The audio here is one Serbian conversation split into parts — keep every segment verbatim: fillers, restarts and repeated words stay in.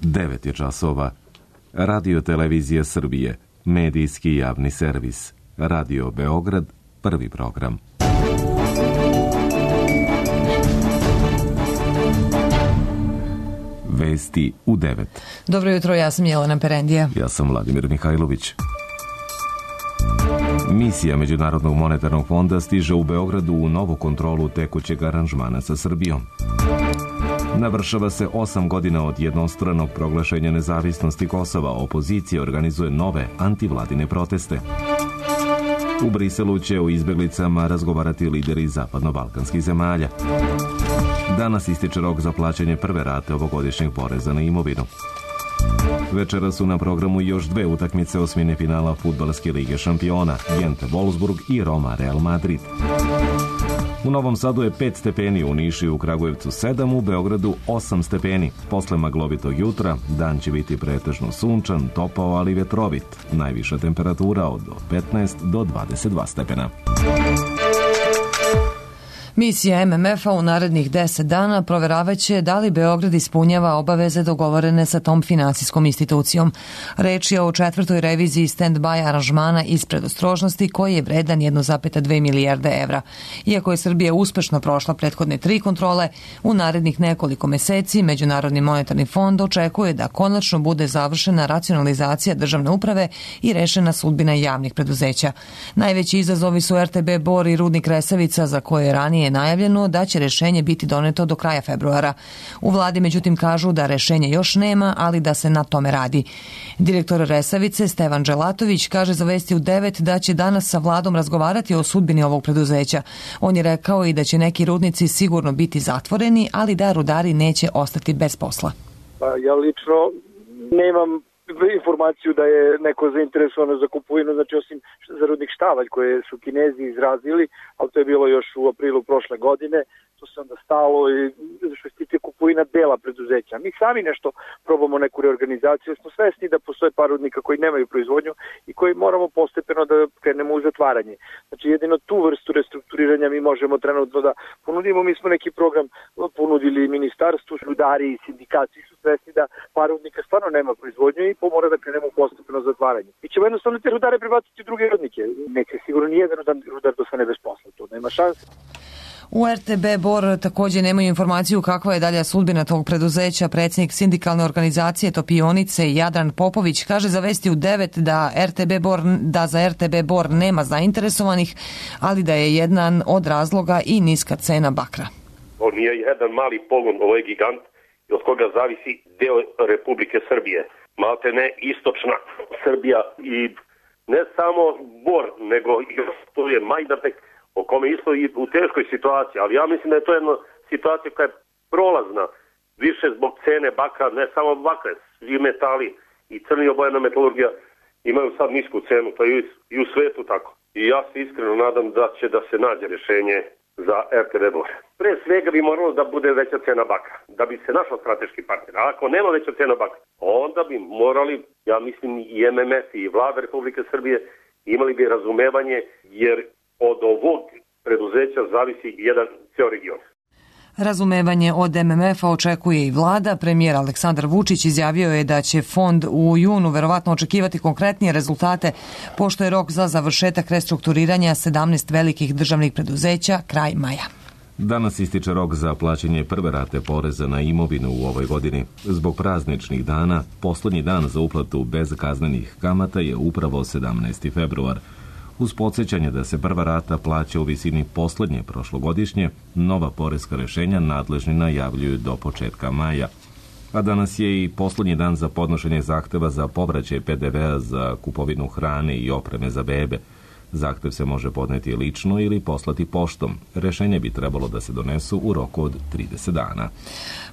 devet je časova. Radio Televizija Srbije, medijski javni servis. Radio Beograd, prvi program. Vesti u devet. Dobro jutro, ja sam Jelena Perendija. Ja sam Vladimir Mihajlović. Misija Međunarodnog monetarnog fonda stiže u Beogradu u novu kontrolu tekućeg aranžmana sa Srbijom. Navršava se osam godina od jednostranog proglašenja nezavisnosti Kosova. Opozicija organizuje nove antivladine proteste. U Briselu će o izbeglicama razgovarati lideri zapadno-balkanskih zemalja. Danas ističe rok za plaćanje prve rate ovogodišnjeg poreza na imovinu. Večera su na programu još dve utakmice osmine finala Fudbalske lige šampiona, Gent Wolfsburg i Roma Real Madrid. U Novom Sadu je pet stepeni, u Nišu i u Kragujevcu sedam, u Beogradu osam stepeni. Posle maglovitog jutra dan će biti pretežno sunčan, topao, ali vetrovit. Najviša temperatura od petnaest do dvadeset dva stepena. Misija M M F-a u narednih deset dana proveravaće da li Beograd ispunjava obaveze dogovorene sa tom finansijskom institucijom. Reč je o četvrtoj reviziji stand-by aranžmana iz predostrožnosti koji je vredan jedna zarez dve milijarde evra. Iako je Srbija uspešno prošla prethodne tri kontrole, u narednih nekoliko meseci Međunarodni monetarni fond očekuje da konačno bude završena racionalizacija državne uprave i rešena sudbina javnih preduzeća. Najveći izazovi su R T B Bor i Rudnik Resavica, za koje je ranije najavljeno da će rešenje biti doneto do kraja februara. U vladi međutim kažu da rešenja još nema, ali da se na tome radi. Direktor Resavice Stevan Dželatović kaže za Vesti u devet da će danas sa vladom razgovarati o sudbini ovog preduzeća. On je rekao i da će neki rudnici sigurno biti zatvoreni, ali da rudari neće ostati bez posla. Pa ja lično nemam informaciju da je neko zainteresovano za kupovinu, znači osim za rudnik Štavalj koje su Kinezi izrazili, ali to je bilo još u aprilu prošle godine, to se onda stalo i što se tiče kupovina dela preduzeća. Mi sami nešto probamo neku reorganizaciju, smo svesni da postoje par rudnika koji nemaju proizvodnju i koji moramo postepeno da krenemo u zatvaranje. Znači jedino tu vrstu restrukturiranja mi možemo trenutno da ponudimo. Mi smo neki program ponudili ministarstvu, rudari i sindikati su svesni da par rudnika stvarno nema proizvodnju i mora da krenemo u postepeno zatvaranje. Mi ćemo jednostavno te rudare prebaciti u druge rudnike. Neće sigurno nijedan rudar dostane bez posla, to nema šanse. U R T B Bor također nemaju informaciju kakva je dalja sudbina tog preduzeća. Predsjednik sindikalne organizacije Topionice Jadran Popović kaže za Vesti u devet da R T B Bor, da za R T B Bor nema zainteresovanih, ali da je jedan od razloga i niska cena bakra. On je jedan mali pogon, ovo je gigant, od koga zavisi deo Republike Srbije. Malte ne istočna Srbija i ne samo Bor, nego i to je Majdanpek, o kome isto i u teškoj situaciji, ali ja mislim da je to jedna situacija koja je prolazna, više zbog cene bakra, ne samo bakra, svi metali i crni obojena metalurgija imaju sad nisku cenu, to je i u svetu tako. I ja se iskreno nadam da će da se nađe rješenje za R T B Bor. Pre svega bi moralo da bude veća cena bakra, da bi se našao strateški partner. A ako nema veća cena bakra, onda bi morali, ja mislim i M M F i vlada Republike Srbije imali bi razumevanje, jer od ovog preduzeća zavisi jedan ceo region. Razumevanje od M M F-a očekuje i vlada. Premijer Aleksandar Vučić izjavio je da će fond u junu verovatno očekivati konkretnije rezultate, pošto je rok za završetak restrukturiranja sedamnaest velikih državnih preduzeća kraj maja. Danas ističe rok za plaćanje prve rate poreza na imovinu u ovoj godini. Zbog prazničnih dana, poslednji dan za uplatu bez kaznenih kamata je upravo sedamnaesti februar. Uz podsjećanje da se prva rata plaća u visini poslednje prošlogodišnje, nova poreska rešenja nadležni najavljuju do početka maja. A danas je i poslednji dan za podnošenje zahteva za povraćaj P D V-a za kupovinu hrane i opreme za bebe. Zahtev se može podneti lično ili poslati poštom. Rešenje bi trebalo da se donesu u roku od trideset dana.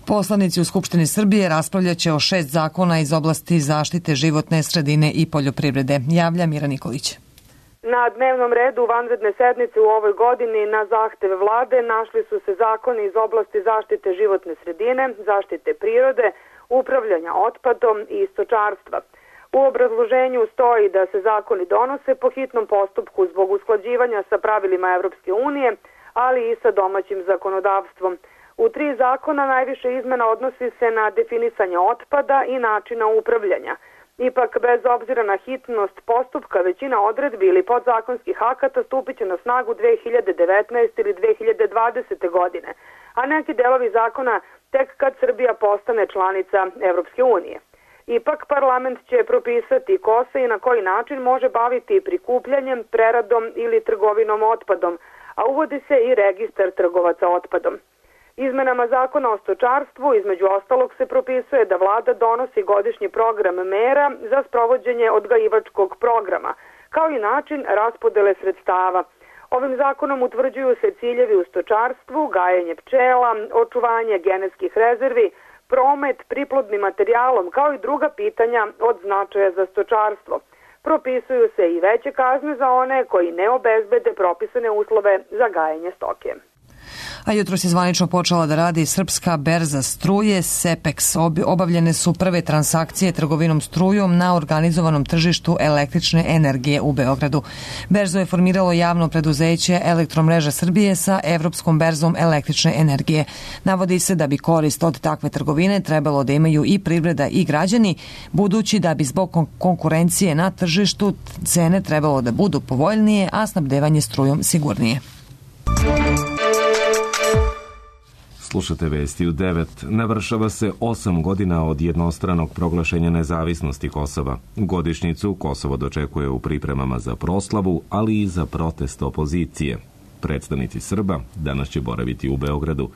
Poslanici u Skupštini Srbije raspravljaće o šest zakona iz oblasti zaštite životne sredine i poljoprivrede. Javlja Mira Nikolić. Na dnevnom redu vanredne sednice u ovoj godini na zahteve vlade našli su se zakoni iz oblasti zaštite životne sredine, zaštite prirode, upravljanja otpadom i stočarstva. U obrazloženju stoji da se zakoni donose po hitnom postupku zbog usklađivanja sa pravilima Evropske unije, ali i sa domaćim zakonodavstvom. U tri zakona najviše izmena odnosi se na definisanje otpada i načina upravljanja. Ipak, bez obzira na hitnost postupka, većina odredbi ili podzakonskih akata stupit će na snagu dve hiljade devetnaeste. ili dve hiljade dvadesete. godine, a neki delovi zakona tek kad Srbija postane članica Evropske unije. Ipak, parlament će propisati ko se i na koji način može baviti prikupljanjem, preradom ili trgovinom otpadom, a uvodi se i registar trgovaca otpadom. Izmenama zakona o stočarstvu, između ostalog, se propisuje da vlada donosi godišnji program mera za sprovođenje odgajivačkog programa, kao i način raspodele sredstava. Ovim zakonom utvrđuju se ciljevi u stočarstvu, gajenje pčela, očuvanje genetskih rezervi, promet priplodnim materijalom, kao i druga pitanja od značaja za stočarstvo. Propisuju se i veće kazne za one koji ne obezbede propisane uslove za gajenje stoke. A jutros je zvanično počela da radi Srpska berza struje SEPEX. Obavljene su prve transakcije trgovinom strujom na organizovanom tržištu električne energije u Beogradu. Berzu je formiralo javno preduzeće Elektromreža Srbije sa Evropskom berzom električne energije. Navodi se da bi korist od takve trgovine trebalo da imaju i privreda i građani, budući da bi zbog konkurencije na tržištu cene trebalo da budu povoljnije, a snabdevanje strujom sigurnije. Slušate vesti u devet. Navršava se osam godina od jednostranog proglašenja nezavisnosti Kosova. Godišnjicu Kosovo dočekuje u pripremama za proslavu, ali i za protest opozicije. Predstavnici Srba danas će boraviti u Beogradu,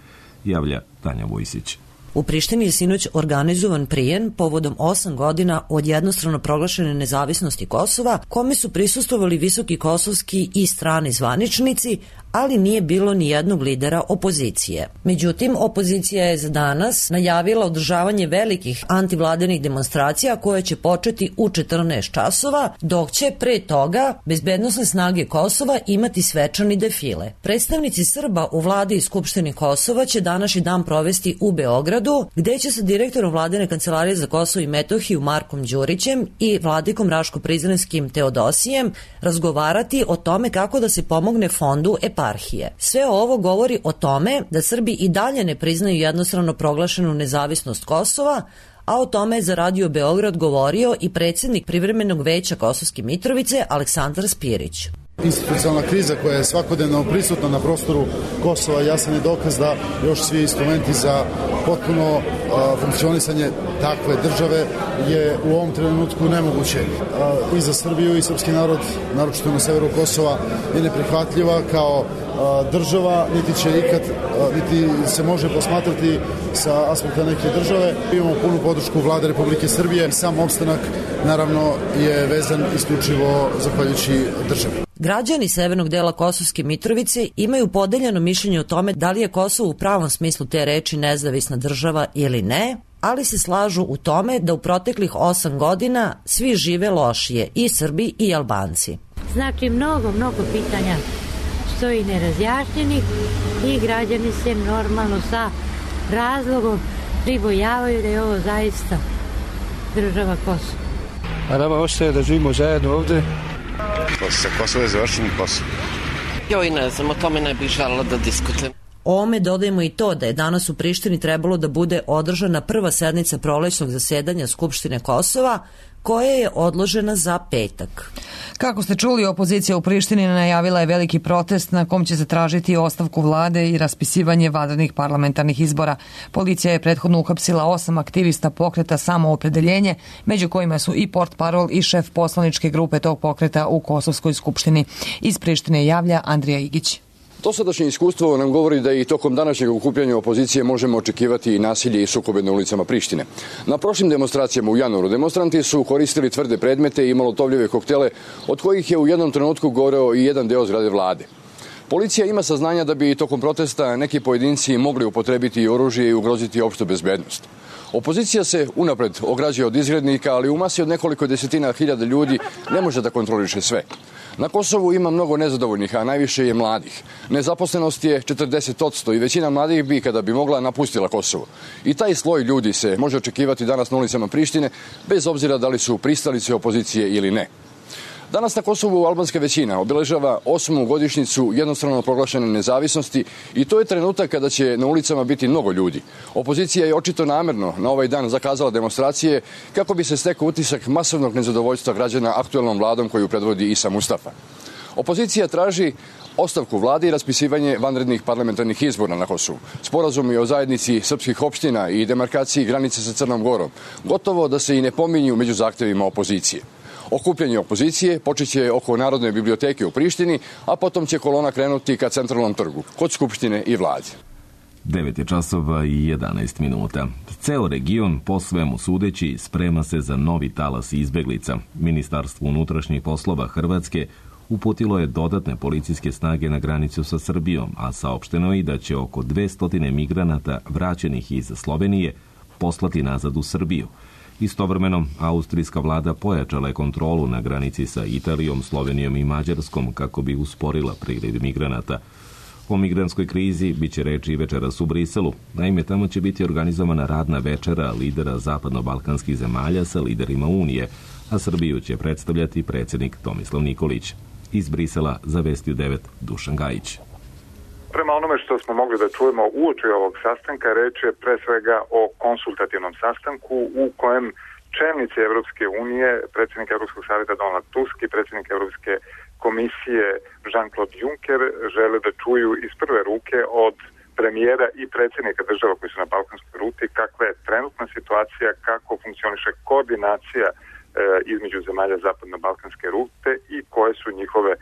javlja Tanja Vujsić. U Prištini je sinoć organizovan prijem povodom osam godina od jednostrano proglašene nezavisnosti Kosova, kome su prisustvovali visoki kosovski i strani zvaničnici, ali nije bilo ni jednog lidera opozicije. Međutim, opozicija je za danas najavila održavanje velikih antivladenih demonstracija koje će početi u četrnaest časova, dok će pre toga bezbednosne snage Kosova imati svečani defile. Predstavnici Srba u vladi i Skupštini Kosova će današnji dan provesti u Beogradu, gde će sa direktorom vladine kancelarije za Kosovo i Metohiju Markom Đurićem i vladikom Raško-Prizrenskim Teodosijem razgovarati o tome kako da se pomogne fondu eparhije. Sve ovo govori o tome da Srbi i dalje ne priznaju jednostrano proglašenu nezavisnost Kosova, a o tome je za Radio Beograd govorio i predsjednik Privremenog veća Kosovske Mitrovice Aleksandar Spirić. Institucionalna kriza koja je svakodnevno prisutna na prostoru Kosova jasan je dokaz da još svi instrumenti za potpuno uh, funkcionisanje takve države je u ovom trenutku nemoguće. Uh, I za Srbiju i srpski narod, naročito na severu Kosova, je neprihvatljiva kao uh, država, niti će ikad, uh, niti se može posmatrati sa aspekta neke države. Imamo punu podršku vlade Republike Srbije. Sam opstanak, naravno, je vezan isključivo zahvaljujući državi. Građani severnog dela Kosovske Mitrovice imaju podeljeno mišljenje o tome da li je Kosovo u pravom smislu te reči nezavisna država ili ne, ali se slažu u tome da u proteklih osam godina svi žive lošije, i Srbi i Albanci. Znači, mnogo, mnogo pitanja stoji nerazjašnjenih i građani se normalno sa razlogom pribojavaju da je ovo zaista država Kosovo. A nama ostaje da živimo zajedno ovde. Sa Kosovo je završen Kosovo. Joj, ne znam, o tome ne bih želela da diskutujem. Ome dodajemo i to da je danas u Prištini trebalo da bude održana prva sednica prolećnog zasedanja Skupštine Kosova, koja je odložena za petak. Kako ste čuli, opozicija u Prištini najavila je veliki protest na kom će se tražiti ostavku vlade i raspisivanje vanrednih parlamentarnih izbora. Policija je prethodno uhapsila osam aktivista pokreta Samoopredeljenje, među kojima su i portparol i šef poslaničke grupe tog pokreta u Kosovskoj skupštini. Iz Prištine javlja Andrija Igić. Dosadašnje iskustvo nam govori da i tokom današnjeg okupljanja opozicije možemo očekivati i nasilje i sukobe na ulicama Prištine. Na prošlim demonstracijama u januaru demonstranti su koristili tvrde predmete i molotovljive koktele, od kojih je u jednom trenutku goreo i jedan deo zgrade vlade. Policija ima saznanja da bi tokom protesta neki pojedinci mogli upotrebiti oružje i ugroziti opštu bezbednost. Opozicija se unapred ograđuje od izgrednika, ali u masi od nekoliko desetina hiljada ljudi ne može da kontroliše sve. Na Kosovu ima mnogo nezadovoljnih, a najviše je mladih. Nezaposlenost je četrdeset posto i većina mladih bi, kada bi mogla, napustila Kosovo. I taj sloj ljudi se može očekivati danas na ulicama Prištine, bez obzira da li su pristalice opozicije ili ne. Danas na Kosovu albanska većina obeležava osmu godišnjicu jednostrano proglašene nezavisnosti i to je trenutak kada će na ulicama biti mnogo ljudi. Opozicija je očito namerno na ovaj dan zakazala demonstracije kako bi se stekao utisak masovnog nezadovoljstva građana aktuelnom vladom koju predvodi Isa Mustafa. Opozicija traži ostavku vlade i raspisivanje vanrednih parlamentarnih izbora na Kosovu. Sporazumi o zajednici srpskih opština i demarkaciji granice sa Crnom Gorom gotovo da se i ne pominju među zahtevima opozicije. Okupljanje opozicije počeće oko Narodne biblioteke u Prištini, a potom će kolona krenuti ka Centralnom trgu, kod Skupštine i vlade. devet je časova i jedanaest minuta. Ceo region, po svemu sudeći, sprema se za novi talas izbeglica. Ministarstvo unutrašnjih poslova Hrvatske uputilo je dodatne policijske snage na granicu sa Srbijom, a saopšteno je i da će oko dvesta migranata vraćenih iz Slovenije poslati nazad u Srbiju. Istovremeno, austrijska vlada pojačala je kontrolu na granici sa Italijom, Slovenijom i Mađarskom kako bi usporila priliv migranata. O migrantskoj krizi biće reči večeras u Briselu. Naime, tamo će biti organizovana radna večera lidera zapadno-balkanskih zemalja sa liderima Unije, a Srbiju će predstavljati predsjednik Tomislav Nikolić. Iz Brisela za Vesti u devet Dušan Gajić. Prema onome što smo mogli da čujemo uoči ovog sastanka, reč je pre svega o konsultativnom sastanku u kojem čelnici Evropske unije, predsjednik Evropskog savjeta Donald Tusk i predsjednik Evropske komisije Jean-Claude Juncker žele da čuju iz prve ruke od premijera i predsjednika država koji su na balkanskoj ruti kakva je trenutna situacija, kako funkcioniše koordinacija e, između zemalja zapadno-balkanske rute i koje su njihove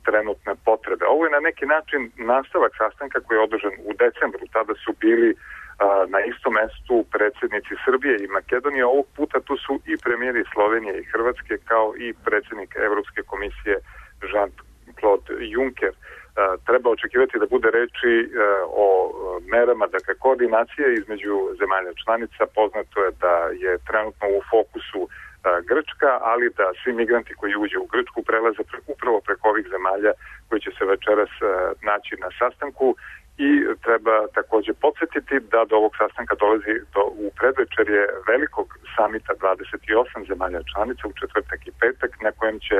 trenutne potrebe. Ovo je na neki način nastavak sastanka koji je održan u decembru. Tada su bili a, na istom mestu predsjednici Srbije i Makedonije. Ovog puta tu su i premijeri Slovenije i Hrvatske kao i predsjednik Evropske komisije Jean-Claude Juncker. A, treba očekivati da bude reči a, o merama, dakle koordinacije između zemalja članica. Poznato je da je trenutno u fokusu Grčka, ali da svi migranti koji uđe u Grčku prelaze pre, upravo preko ovih zemalja koji će se večeras uh, naći na sastanku i treba također podsjetiti da do ovog sastanka dolazi do, u predvečerje velikog samita dvadeset osam zemalja članica u četvrtak i petak na kojem će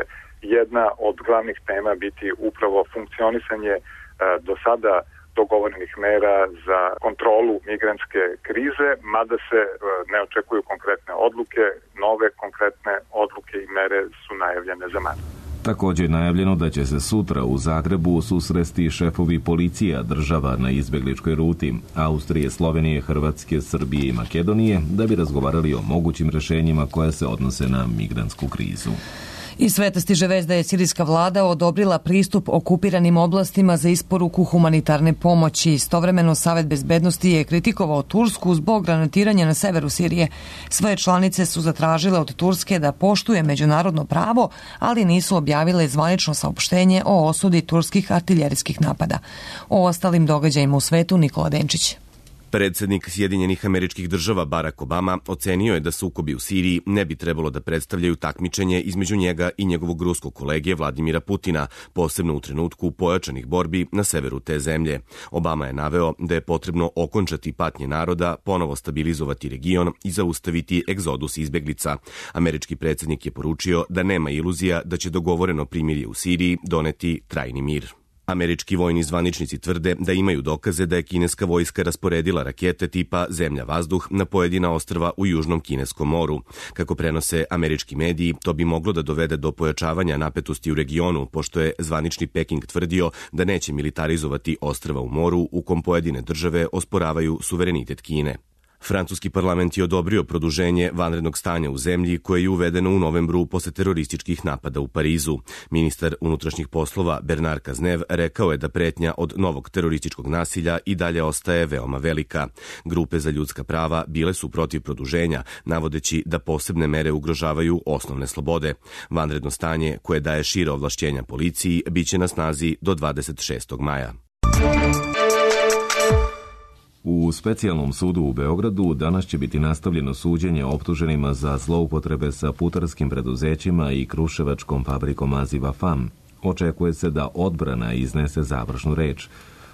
jedna od glavnih tema biti upravo funkcionisanje uh, do sada dogovorenih mera za kontrolu migrantske krize, mada se ne očekuju konkretne odluke, nove konkretne odluke i mere su najavljene za manje. Također je najavljeno da će se sutra u Zagrebu susresti šefovi policija država na izbegličkoj ruti Austrije, Slovenije, Hrvatske, Srbije i Makedonije da bi razgovarali o mogućim rješenjima koja se odnose na migrantsku krizu. Iz sveta stiže vest da je sirijska vlada odobrila pristup okupiranim oblastima za isporuku humanitarne pomoći. Istovremeno Savet bezbednosti je kritikovao Tursku zbog granatiranja na severu Sirije. Sve članice su zatražile od Turske da poštuje međunarodno pravo, ali nisu objavile zvanično saopštenje o osudi turskih artiljerijskih napada. O ostalim događajima u svetu Nikola Denčić. Predsjednik Sjedinjenih Američkih Država Barack Obama ocenio je da sukobi u Siriji ne bi trebalo da predstavljaju takmičenje između njega i njegovog ruskog kolege Vladimira Putina, posebno u trenutku pojačanih borbi na severu te zemlje. Obama je naveo da je potrebno okončati patnje naroda, ponovo stabilizovati region i zaustaviti egzodus izbeglica. Američki predsjednik je poručio da nema iluzija da će dogovoreno primirje u Siriji doneti trajni mir. Američki vojni zvaničnici tvrde da imaju dokaze da je kineska vojska rasporedila rakete tipa zemlja-vazduh na pojedina ostrva u Južnom Kineskom moru. Kako prenose američki mediji, to bi moglo da dovede do pojačavanja napetosti u regionu, pošto je zvanični Peking tvrdio da neće militarizovati ostrva u moru u kom pojedine države osporavaju suverenitet Kine. Francuski parlament je odobrio produženje vanrednog stanja u zemlji koje je uvedeno u novembru posle terorističkih napada u Parizu. Ministar unutrašnjih poslova Bernard Cazeneuve rekao je da pretnja od novog terorističkog nasilja i dalje ostaje veoma velika. Grupe za ljudska prava bile su protiv produženja, navodeći da posebne mere ugrožavaju osnovne slobode. Vanredno stanje, koje daje šire ovlašćenja policiji, biće na snazi do dvadeset šestog maja. U specijalnom sudu u Beogradu danas će biti nastavljeno suđenje optuženima za zloupotrebe sa putarskim preduzećima i kruševačkom fabrikom Aziva F A M. Očekuje se da odbrana iznese završnu reč.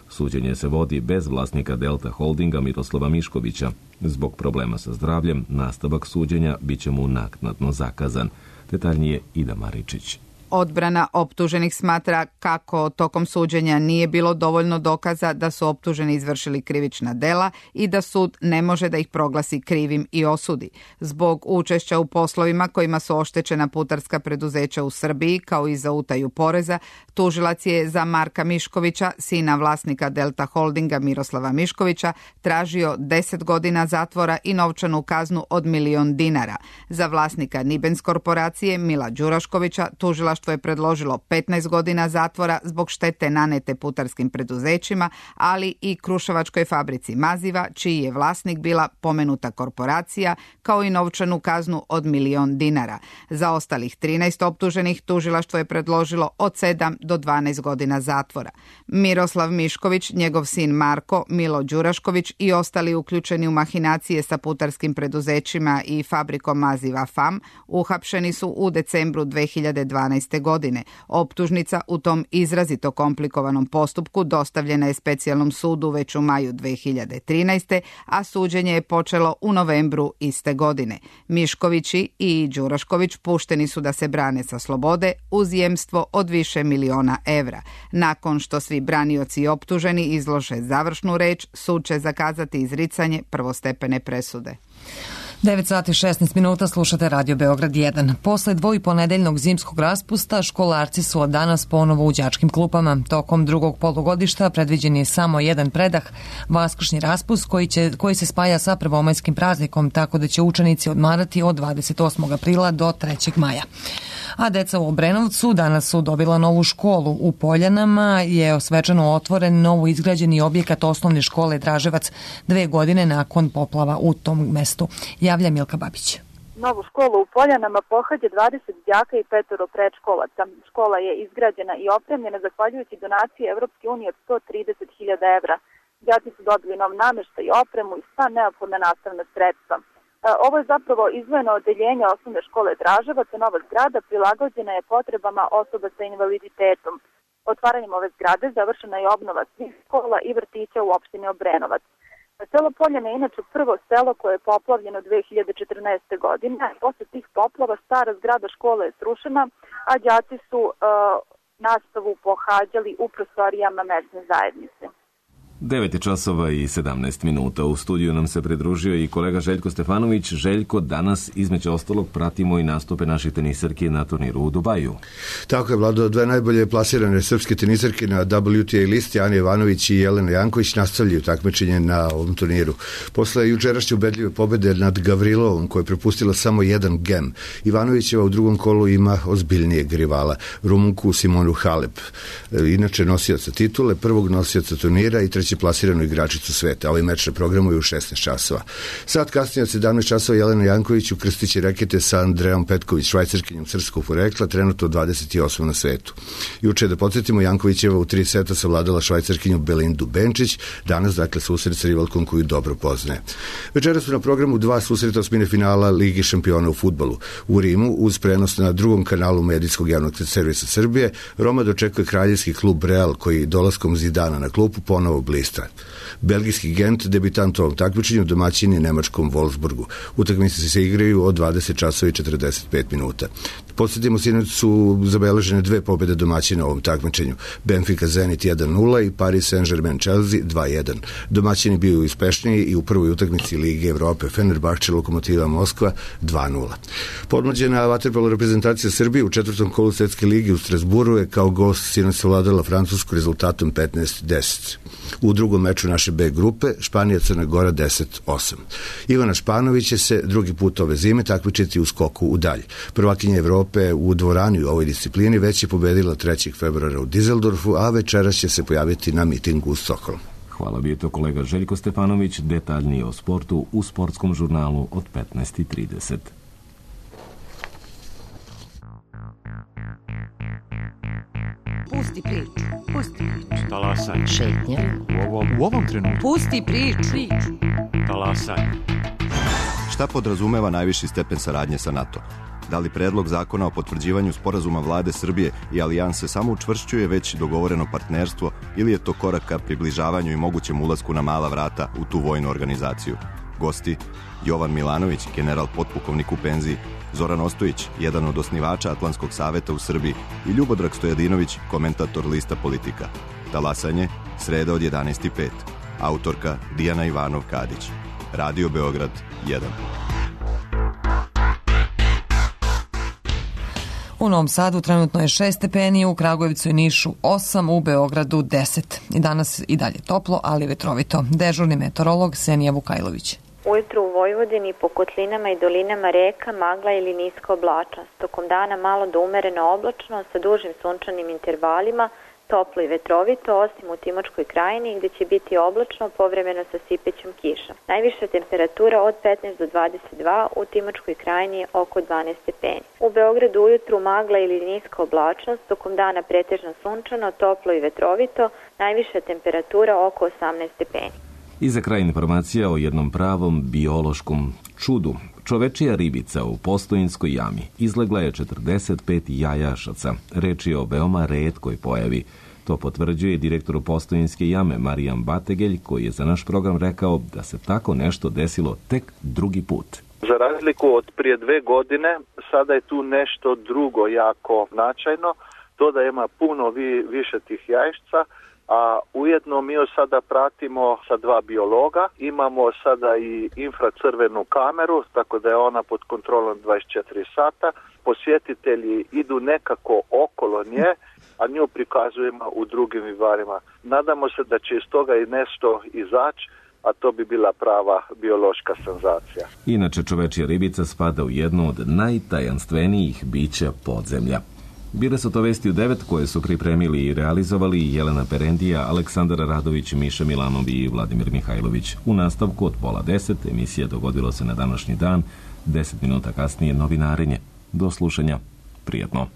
Suđenje se vodi bez vlasnika Delta Holdinga Miroslava Miškovića. Zbog problema sa zdravljem, nastavak suđenja bit će mu naknadno zakazan. Detaljnije Ida Maričić. Odbrana optuženih smatra kako tokom suđenja nije bilo dovoljno dokaza da su optuženi izvršili krivična dela i da sud ne može da ih proglasi krivim i osudi. Zbog učešća u poslovima kojima su oštećena putarska preduzeća u Srbiji, kao i za utaju poreza, tužilac je za Marka Miškovića, sina vlasnika Delta Holdinga Miroslava Miškovića, tražio deset godina zatvora i novčanu kaznu od milion dinara. Za vlasnika Nibens korporacije Mila Đuraškovića tužilaštvo je predložilo petnaest godina zatvora zbog štete nanete putarskim preduzećima, ali i Kruševačkoj fabrici maziva, čiji je vlasnik bila pomenuta korporacija, kao i novčanu kaznu od milion dinara. Za ostalih trinaest optuženih tužilaštvo je predložilo od sedam do dvanaest godina zatvora. Miroslav Mišković, njegov sin Marko, Milo Đurašković i ostali uključeni u mahinacije sa putarskim preduzećima i fabrikom maziva F A M uhapšeni su u decembru dve hiljade dvanaeste. godine. Optužnica u tom izrazito komplikovanom postupku dostavljena je specijalnom sudu već u maju dve hiljade trinaeste. a suđenje je počelo u novembru iste godine. Miškovići i Đurašković pušteni su da se brane sa slobode uz jemstvo od više miliona evra. Nakon što svi branioci i optuženi izlože završnu reč, sud će zakazati izricanje prvostepene presude. devet sati šesnaest minuta, slušate Radio Beograd jedan. Posle dvojiponedeljnog zimskog raspusta, školarci su od danas ponovo u đačkim klupama. Tokom drugog polugodišta predviđen je samo jedan predah, vaskršnji raspust koji, će, koji se spaja sa prvomajskim praznikom, tako da će učenici odmarati od dvadeset osmog aprila do trećeg maja. A deca u Obrenovcu danas su dobila novu školu. U Poljanama je svečano otvoren novo izgrađeni objekat osnovne škole Draževac dve godine nakon poplava u tom mestu. Javlja Milka Babić. Novu školu u Poljanama pohađa dvadeset đaka i petoro predškolaca. Škola je izgrađena i opremljena zahvaljujući donaciji Evropske unije od sto trideset hiljada evra. Đaci su dobili nov nameštaj i opremu i sva neophodna nastavna sredstva. Ovo je zapravo izdvojeno odeljenje osnovne škole Draževac, nova zgrada prilagođena je potrebama osoba sa invaliditetom. Otvaranjem ove zgrade završena je obnova svih škola i vrtića u opštini Obrenovac. Selo Poljane je inače prvo selo koje je poplavljeno dve hiljade četrnaeste. godine. Posle tih poplava stara zgrada škole je srušena, a đaci su uh, nastavu pohađali u prostorijama mesne zajednice. devet časova i sedamnaest minuta. U studiju nam se pridružio i kolega Željko Stefanović. Željko, danas između ostalog pratimo i nastupe naših tenisarki na turniru u Dubaju. Tako je, Vlado, dve najbolje plasirane srpske tenisarke na W T A listi, Ana Ivanović i Jelena Janković, nastavljaju takmičenje na ovom turniru. Posle jučerašnje ubedljive pobede nad Gavrilovom, koja je prepustila samo jedan gem, Ivanovićeva u drugom kolu ima ozbiljnijeg rivala, Rumunku Simonu Halep. Inače nosioca titule, prvog nosioca turnira i treći plasiranu igračicu sveta. Ovaj meč na programu je u šesnaest časova. Sad kasnije od sedamnaest časova Jelena Janković ukrstit rekete sa Andrejom Petković, švajcarkinjom srpskog porekla, trenutno dvadeset osma na svetu. Juče, da podsjetimo, Jankovićeva u tri seta savladala švajcarkinju Belindu Benčić, danas dakle susret sa rivalkom koju dobro poznaje. Večera su na programu dva susreta osmine finala Ligi šampiona u fudbalu. U Rimu, uz prenos na drugom kanalu medijskog javnog servisa Srbije, Roma dočekuje kraljevski klub Real, koji dolaskom Zidana na klupu ponovo bliže. Belgijski Gent, debitant u ovom takmičenju, domaćin je nemačkom Wolfsburgu. Utakmice se igraju od dvadeset časova i četrdeset pet minuta. Podsjetimo, sinoć su zabeležene dve pobjede domaćina u ovom takmičenju. Benfica Zenit jedan nula i Paris Saint-Germain Chelsea dva jedan. Domaćini bio uspešniji i u prvoj utakmici Lige Evrope Fenerbahče Lokomotiva Moskva dva nula. Podmlađena vaterpolo reprezentacija Srbije u četvrtom kolu Svetske lige u Strasburu je kao gost sinoć savladala Francusku rezultatom petnaest deset. U drugom meču naše B grupe Španija Crna Gora deset osam. Ivana Španović će se drugi put ove zime takmičiti u skoku u dalj. Prvakinja Evrope u dvorani u ovoj disciplini već je pobedila trećeg februara u Dizeldorfu, a večeras će se pojaviti na mitingu u Stokholmu. Hvala, bio je to kolega Željko Stefanović. Detaljnije o sportu u sportskom žurnalu od petnaest i trideset. Pusti priču, pusti priču. Talasaj. Šetnja. U ovom, u ovom trenutku. Pusti priču. Talasaj. Šta podrazumeva najviši stepen saradnje sa NATO? Da li predlog zakona o potvrđivanju sporazuma vlade Srbije i alijanse samo učvršćuje već dogovoreno partnerstvo ili je to korak ka približavanju i mogućem ulasku na mala vrata u tu vojnu organizaciju? Gosti Jovan Milanović, general potpukovnik u penziji, Zoran Ostojić, jedan od osnivača Atlantskog saveta u Srbiji i Ljubodrag Stojadinović, komentator lista Politika. Talasanje, sreda od jedanaest i pet. Autorka Dijana Ivanov-Kadić. Radio Beograd jedan. U Novom Sadu trenutno je šest stepeni, u Kragujevcu i Nišu osam, u Beogradu deset. I danas i dalje toplo, ali vetrovito. Dežurni meteorolog Senija Vukajlović. Ujutru u Vojvodini po kotlinama i dolinama reka magla ili niska oblačnost. Tokom dana malo do umereno oblačno sa dužim sunčanim intervalima, toplo i vetrovito, osim u Timočkoj krajini gde će biti oblačno povremeno sa sipećom kišom. Najviša temperatura od petnaest do dvadeset dva, u Timočkoj krajini oko dvanaest stepeni. U Beogradu ujutru magla ili niska oblačnost, tokom dana pretežno sunčano, toplo i vetrovito, najviša temperatura oko osamnaest stepeni. I za kraj informacija o jednom pravom biološkom čudu. Čovečija ribica u Postojinskoj jami izlegla je četrdeset pet jajašaca. Reč je o veoma retkoj pojavi. To potvrđuje direktor Postojinske jame Marijan Bategelj, koji je za naš program rekao da se tako nešto desilo tek drugi put. Za razliku od prije dve godine, sada je tu nešto drugo jako značajno, to da ima puno vi, više tih jajšca, a ujedno mi još sada pratimo sa dva biologa, imamo sada i infracrvenu kameru, tako da je ona pod kontrolom dvadeset četiri sata, posjetitelji idu nekako okolo nje, a nju prikazujemo u drugim vivarima. Nadamo se da će iz toga i nešto izaći, a to bi bila prava biološka senzacija. Inače, čovečija ribica spada u jednu od najtajanstvenijih bića podzemlja. Bile su to vesti u devet koje su pripremili i realizovali Jelena Perendija, Aleksandar Radović, Miša Milanov i Vladimir Mihajlović. U nastavku od pola deset emisija Dogodilo se na današnji dan, deset minuta kasnije novinarenje. Do slušanja. Prijatno.